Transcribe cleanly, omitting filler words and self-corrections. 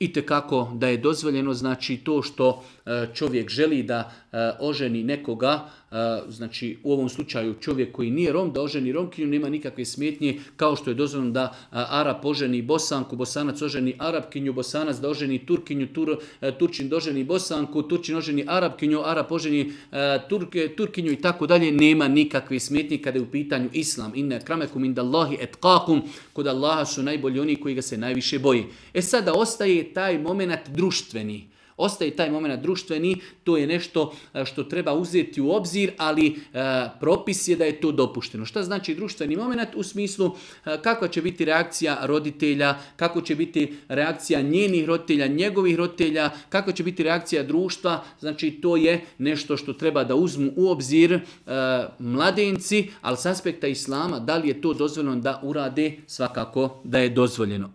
Itekako da je dozvoljeno, znači to što čovjek želi da oženi nekoga, znači u ovom slučaju čovjek koji nije Rom, da oženi Romkinju, nema nikakve smetnje, kao što je dozvoljeno da Arap oženi Bosanku, Bosanac oženi Arapkinju, Bosanac da oženi Turkinju, Turčin da oženi Bosanku, Turčin oženi Arapkinju, Arap oženi Turkinju i tako dalje, nema nikakve smetnje kada je u pitanju Islam. Inne akramekum indallahi etqakum, kod Allaha su najbolji oni koji ga se najviše boji. Sada ostaje taj moment društveni. To je nešto što treba uzeti u obzir, ali propis je da je to dopušteno. Šta znači društveni moment? U smislu kakva će biti reakcija roditelja, kako će biti reakcija njenih roditelja, njegovih roditelja, kako će biti reakcija društva. Znači to je nešto što treba da uzmu u obzir mladenci, ali s aspekta Islama, da li je to dozvoljeno da urade, svakako da je dozvoljeno.